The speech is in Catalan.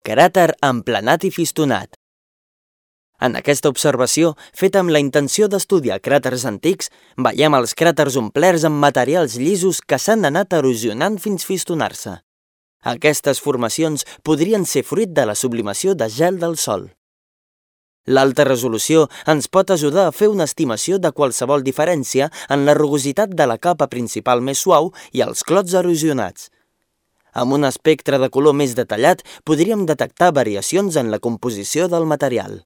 Cràter emplenat i fistonat. En aquesta observació, feta amb la intenció d'estudiar cràters antics, veiem els cràters omplerts amb materials llisos que s'han anat erosionant fins fistonar-se. Aquestes formacions podrien ser fruit de la sublimació de gel del Sol. L'alta resolució ens pot ajudar a fer una estimació de qualsevol diferència en la rugositat de la capa principal més suau i els clots erosionats. Amb un espectre de color més detallat, podríem detectar variacions en la composició del material.